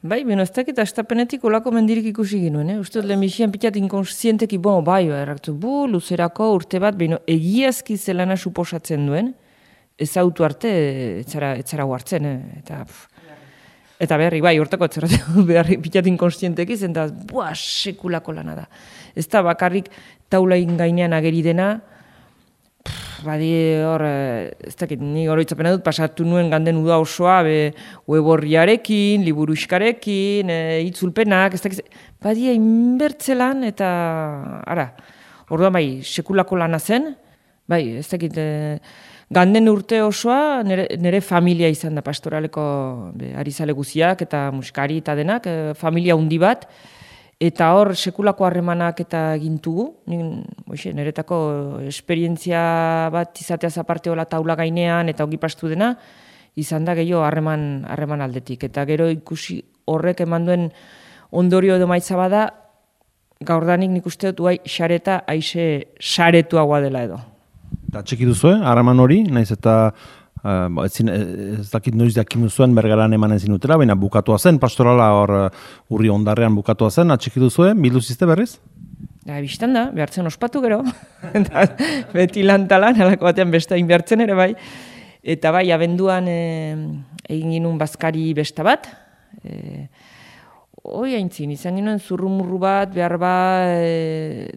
Bai, beno, ez dakit, astapenetik olako mendirik ikusi ginuen, Uste dut, lehenbizian pitat inkonsienteki, bai, erraktu, luzerako urte bat, beno, egiazki zelana suposatzen duen, ez autu arte, etzara huartzen, eta beharri, bai, hortako etzara beharri pitat inkonsienteki, zen da, sekulako lana da. Ez da, bakarrik taulain gainean ageri dena, badi hor, ez dakit, nik oroitzapena dut, pasatu nuen ganden uda osoa, weborriarekin, liburuxkarekin, itzulpenak, ez dakit, badi inbertzelan, eta, orduan bai, sekulako lana zen, bai, ez dakit, ganden urte osoa, nire familia izan da pastoraleko arizale guziak, eta musikari eta denak, familia hundi bat, eta hor sekulako harremanak eta gintugu, niretako esperientzia bat izateaz aparte hola taula gainean eta ongi pastu dena, izan da gehiago harreman aldetik. Eta gero ikusi horrek eman duen ondorio edo maitza bada, gaurdanik nik uste dut xareta aixe saretuagoa dela edo. Eta txeki duzue, harreman hori, naiz eta ez dakit noiz jakin zuen Bergaran emanen zinutela, baina bukatua zen, pastorala hor urri ondarrean bukatua zen, atxiki duzue, bildu zizte berriz? Bistan da, behartzen ospatu gero, beti lantalan, alako batean besta inbertzen ere bai, eta bai, abenduan egin ginuen bazkari besta bat, haintzin, izan ginen zurrumurru bat, behar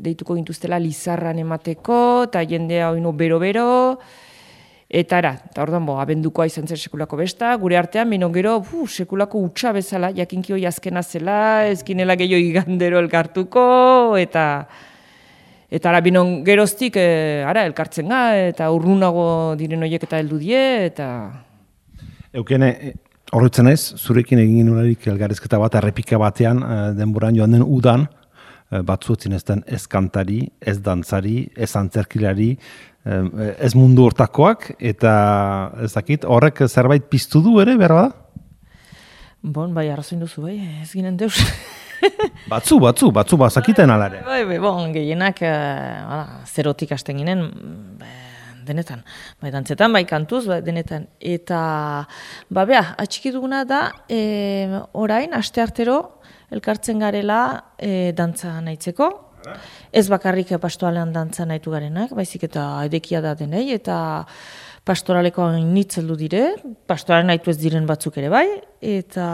deituko gintuztela lizarran emateko, eta jendea oino bero-bero, eta orduan abendukoa izan zen sekulako besta, gure artean, bino gero, sekulako utxa bezala, jakinki hoi azkena zela, ezkinela gehiago igandero elkartuko, eta bino geroztik, elkartzen ga, eta urrunago diren horiek eta heldu die, eta... Eukene, horretzen ez, zurekin egin ginularik elgarrezketa bat, errepika batean, denboran joan den udan, batzuetzen ez den ez kantari, ez dantzari, ez antzerkilari, ez mundu hortakoak, eta ez dakit, horrek zerbait piztu du ere, behar bada? Bai, arrazoin duzu, bai, ez ginen deus. Batzu, bazakiten alare. Bai, gehienak zerotik hasten ginen, denetan. Bai, dantzetan, bai, kantuz, bai, denetan. Eta, atxiki duguna da, orain, asteartero, elkartzen garela dantza nahitzeko. Ez bakarrik pastoalean dantza nahitu garenak, baizik eta edekia da denei, eta pastoraleko nitzeldu dire, pastoralean nahitu ez diren batzuk ere bai, eta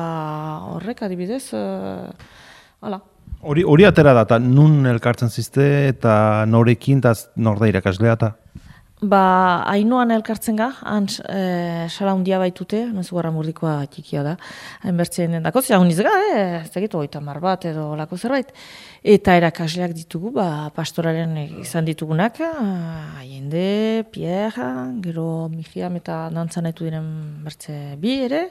horrek adibidez, hala. Hori atera da, eta nun elkartzen zizte, eta norekin, eta nor da irakaslea, eta? Hainoan elkartzen ga, sala hundia baitute, mezugarra murdikoa txikia da, hainbertzen den dako, zera honiz ga, ez dakitu, 30 bat edo lako zerbait. Eta erakasleak ditugu, pastoraren izan ditugunak, Allende, Pierre, gero Mijiam eta dantzan nahitu diren bertze bi ere,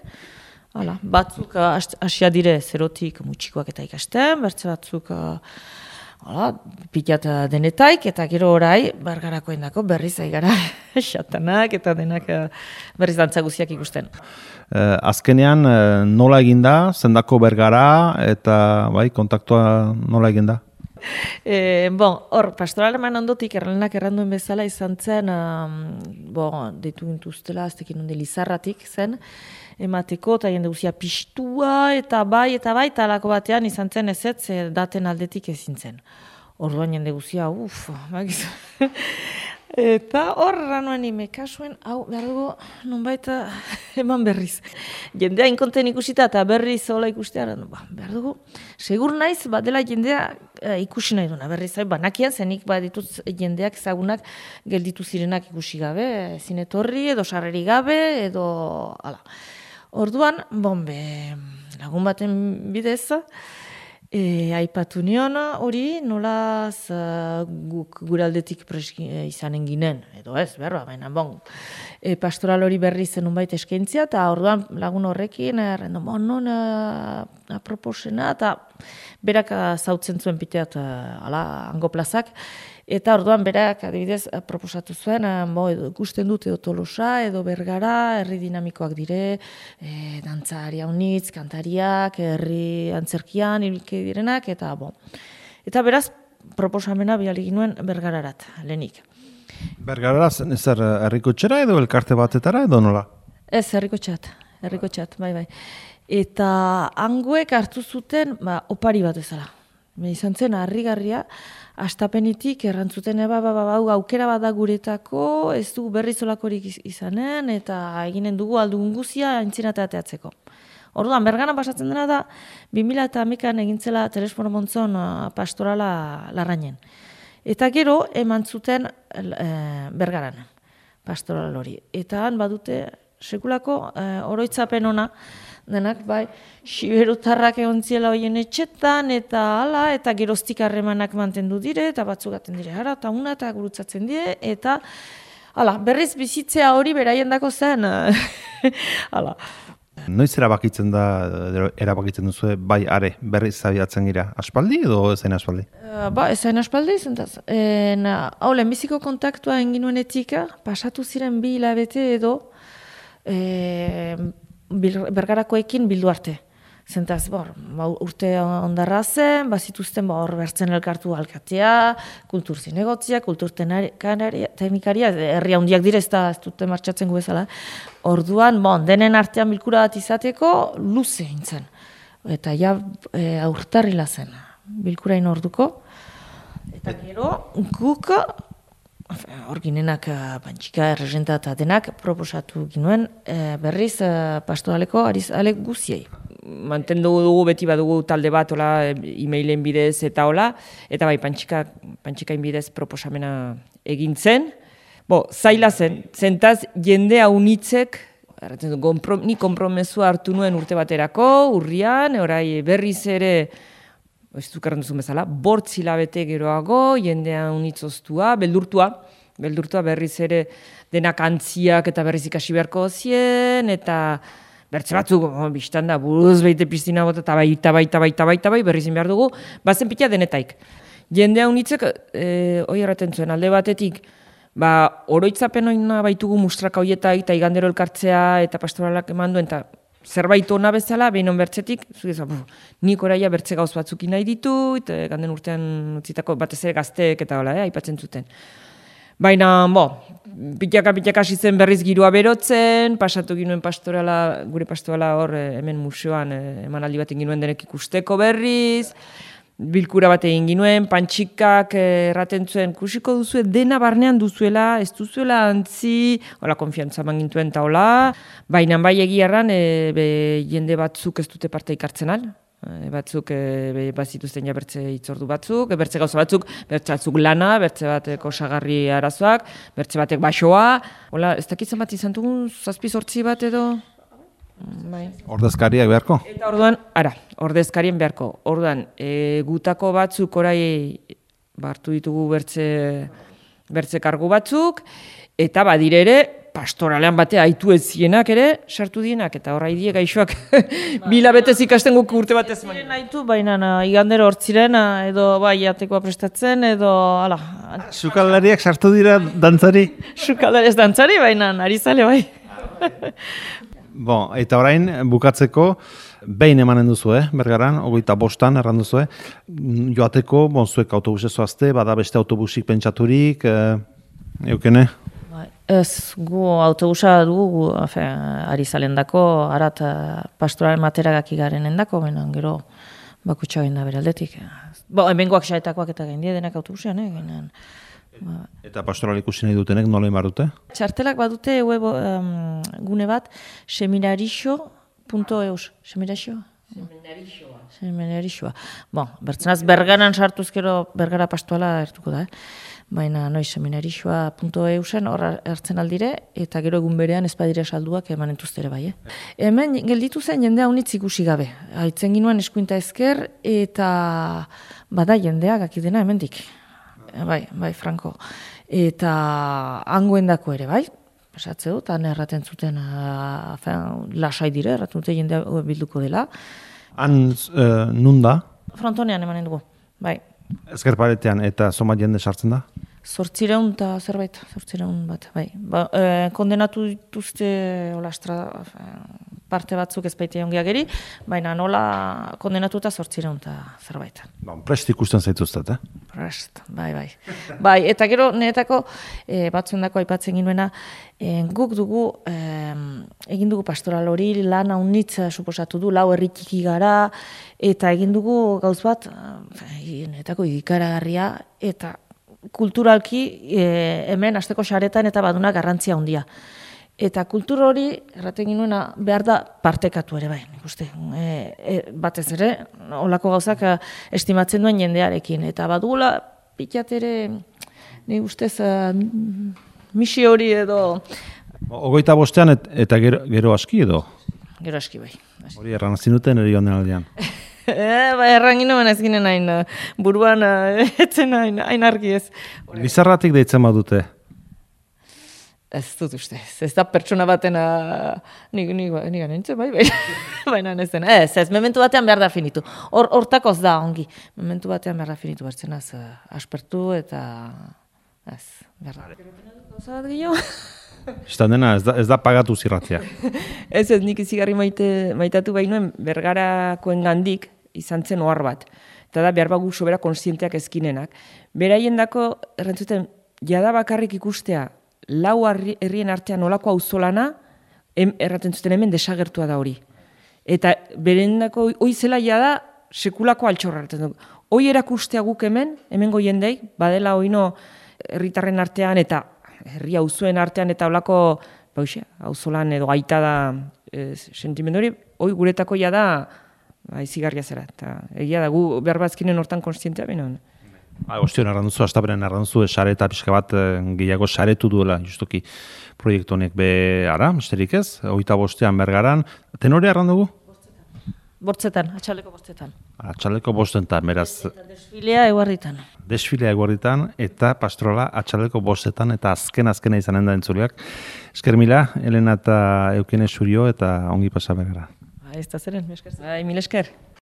batzuk hasia dire zerotik mutxikoak eta ikasten, bertze batzuk pilat denetaik, eta gero orai, Bergarako endako berriz aigara xatanak eta denak berriz dantzaguziak ikusten. Azkenean nola eginda, zendako Bergara, eta kontaktua nola eginda? Hor, pastoraleman ondotik erlenak erranduen bezala izan zen, deitu gintuztela, aztekin onde Lizarratik zen, emateko, eta jende guzia pixtua, eta bai, eta alako batean izan zen ezetz, daten aldetik ezin zen. Orduan jende guzia, bagizu. Eta horra nuen imekasuen, behar dugu, nonbait eman berriz. Jendea inkonten ikusita eta berriz hola ikustea, behar dugu, segur naiz, dela jendea ikusi nahi duna, berriz, banakian zenik dituz jendeak ezagunak gelditu zirenak ikusi gabe, ezin etorri, edo sarreri gabe, edo, hala. Orduan, lagun baten bidez, aipatu nion hori nolaz guk guraldetik izanen ginen, edo ez, berba, baina pastoral hori berri zenun baita eskaintzia, eta orduan lagun horrekin, non aproposena, eta berak zautzen zuen piteat hango plazak, eta orduan berak adibidez proposatu zuen, ikusten dut edo Tolosa, edo Bergara, herri dinamikoak dire, dantzari haunitz, kantariak, herri antzerkian, ibilke direnak, eta Eta beraz, proposamena bihali ginuen Bergararat, lehenik. Bergarara zer herriko txera edo elkarte batetara edo nola? Ez, herriko txat, bai. Eta hangoek hartu zuten opari bat ezala. Izan zen harrigarria, astapenitik errantzuten aukera bat da guretako, ez du berrizolakorik izanen, eta eginen dugu aldugun guzia aintzinateatzeko. Orduan, Bergaran pasatzen dena da, 2011an egintzela Telesforo Montzon pastorala Larrainen. Eta gero, eman zuten Bergaran, pastoral hori. Eta han badute, sekulako oroitzapen ona, denak, bai, siberutarrak egon ziela hoien etxetan, eta hala, eta geroztik harremanak mantendu dire, eta batzugaten dire, hara, eta una, eta gurutzatzen dire, eta hala, berriz bizitzea hori beraien dako zen, hala. Noiz erabakitzen duzu, bai, are, berriz zabiatzen gira, aspaldi edo ezain aspaldi? Ezain aspaldi, zentaz. Hau, lehenbiziko kontaktua enginuenetik, pasatu ziren 2 hilabete edo, Bergarakoekin bildu arte. Zentaz, urte ondarra zen, bazituzten hor bertzen elkartu alkatea, kultur zinegotzia, kultur teknikaria, herri handiak dire ez dute martxatzen gu bezala. Orduan, denen artean bilkura bat izateko, luze hintzen. Eta ja aurtarrila zen, bilkurain orduko. Eta gero, guk, hor ginenak Pantxika, erregenta eta denak proposatu ginuen berriz pastoraleko arizale guziei. Mantendu dugu beti badugu talde bat e-mailen bidez eta hola, eta bai Pantxikain bidez proposamena egin zen. Zaila zen, zentaz jende haunitzek, ni konpromesua hartu nuen urte baterako, urrian, orai berriz ere, ez dukarren duzun bezala, 8 hilabete geroago, jendea unitzoztua, beldurtua berriz ere denak antziak eta berriz ikasi beharko zien, eta bertze batzuk, biztan da, buruz behite piztina bota, eta bai, berrizin behar dugu, bazen pila denetaik. Jendea unitzek, hoi erraten zuen, alde batetik, oroitzapen oina baitugu mustraka hoietak, eta igandero elkartzea, eta pastoralak eman duen, eta zerbait ona bezala, behin on bertzetik, nik oraia bertze gauz batzukin nahi ditu, eta ganden urtean utzitako batez ere gazteek eta hola, aipatzen zuten. Baina, pitaka hasi zen berriz girua berotzen, pasatu ginuen gure pastorala hor hemen museoan emanaldi bat egin ginuen denek ikusteko berriz, bilkura bat egin ginuen, Pantxikak erraten zuen, kusiko duzue dena barnean duzuela, ez duzuela antzi, hola, konfiantza eman gintuen eta hola, baina bai egiarran jende batzuk ez dute parte ikartzen al, batzuk bazituzten ja bertze hitzordu batzuk, bertze gauza batzuk, bertze batzuk lana, bertze bateko osagarri arazoak, bertze batek basoa, hola, ez dakitzen bat izan dugun, 7-8 bat edo? Ordezkariak beharko? Eta orduan, ordezkarien beharko. Orduan, gutako batzuk orai hartu ditugu bertze kargu batzuk, eta badire ere, pastoralean batea aitu ez zienak ere, sartu dienak, eta horra idie gaixoak 2 hilabetez ikasten guk urte batez. Ziren aitu, baina igandero hortziren, edo jatekoa prestatzen, edo, ala. Sukaldariak sartu dira dantzari? Sukaldariak dantzari, baina arizale bai. Eta orain, bukatzeko, behin emanen duzu, Bergaran, 25an erran duzu, joateko, zuek autobusez zoazte, bada beste autobusik pentsaturik, eukene? Ez, gu autobusa dugu, arizalen dako, harat pastoralen materagak igaren endako, baina gero bakutsa da beraldetik. Hemengoak xaetakoak eta gaindia denak autobusean, ginen. Eta pastoral ikusi nahi dutenek nola imar dute? Txartelak badute web gune bat, seminarixo.eus. Seminarixoa? Seminarixoa. Bertzenaz, Bergaran sartuzkero Bergara pastoala ertuko da, baina seminarixoa.eusen hor hartzen aldire, eta gero egun berean ez badire salduak emanen duztere bai. Hemen gelditu zen jendea unitz ikusi gabe. Haitzen ginuen eskuinta ezker, eta bada jendea gakidena hemendik. Bai, Franco. Eta hangoendako ere, bai. Pasatze dut, han erraten zuten lasai dire, erraten dute jendea bilduko dela. Han nun da? Frontonean emanen dugu, bai. Ezker paretean eta zomat jende sartzen da? 800 eta zerbait, 800 bat, bai. Kondenatu dituzte parte batzuk ez baita ongi ageri, baina nola kondenatuta 800 eta zerbait. Prest ikusten zaituztet, Prest, bai. Bai, eta gero niretako batzuendako aipatzen ginuena, guk dugu, egin dugu pastoral hori, lan haunitz suposatu du, 4 herri txiki gara, eta egin dugu gauz bat, niretako ikaragarria, eta kulturalki hemen asteko saretan eta baduna garrantzia handia. Eta kultur hori, erraten ginuena, behar da partekatu ere bai, nik uste. Batez ere, olako gauzak estimatzen duen jendearekin. Eta badugula, pikat ere, nik ustez, misi hori edo... 25 eta gero aski edo? Gero aski bai. Hori erran zinuten eri honen aldean. Erran ginoen ez ginen hain, buruan etzen hain argi ez. Lizarratik deitzen badute? Ez dut uste, ez da pertsona batena, nik nintzen, bai, baina ez den, ez, momentu batean behar da finitu. Hortakoz da, ongi, momentu batean behar da finitu bertzen, aspertu eta, ez, behar da. Gauza bat gehiago? Istan dena, ez da pagatu zirratzea. Ez, nik izigarri maitatu bainuen bergarakoen gandik izan zen ohar bat. Eta da, behar bagu sobera konstienteak ezkinenak. Beraien dako, errantzuten, jada bakarrik ikustea, 4 herrien artean olako auzolana, erraten zuten hemen desagertua da hori. Eta berendako hoi zela da sekulako altxorra. Hoi erakustea guk hemengo jendei, badela hoino herritarren artean eta herri auzuen artean eta olako auzolan edo gaita da sentimendu hori, hoi guretako da izigarria zera. Eta egia da gu behar bazkinen hortan konstientea beno. Ostion arranduzu, astaberen arranduzu, sare eta pixka bat gehiago saretu duela, justuki proiektu honek ara, misterik ez, 25ean Bergaran. Tenore arrandugu? Bortzetan, atxaleko bortzetan. Atxaleko bostetan, beraz. Eta desfilea eguarritan. Desfilea eguarritan eta pastrola atxaleko bostetan eta azkena izanen da entzuleak. Esker mila, Elena eta Eukene Surio eta ongi pasa Bergara. Ez da zeren, mil esker. Mil esker.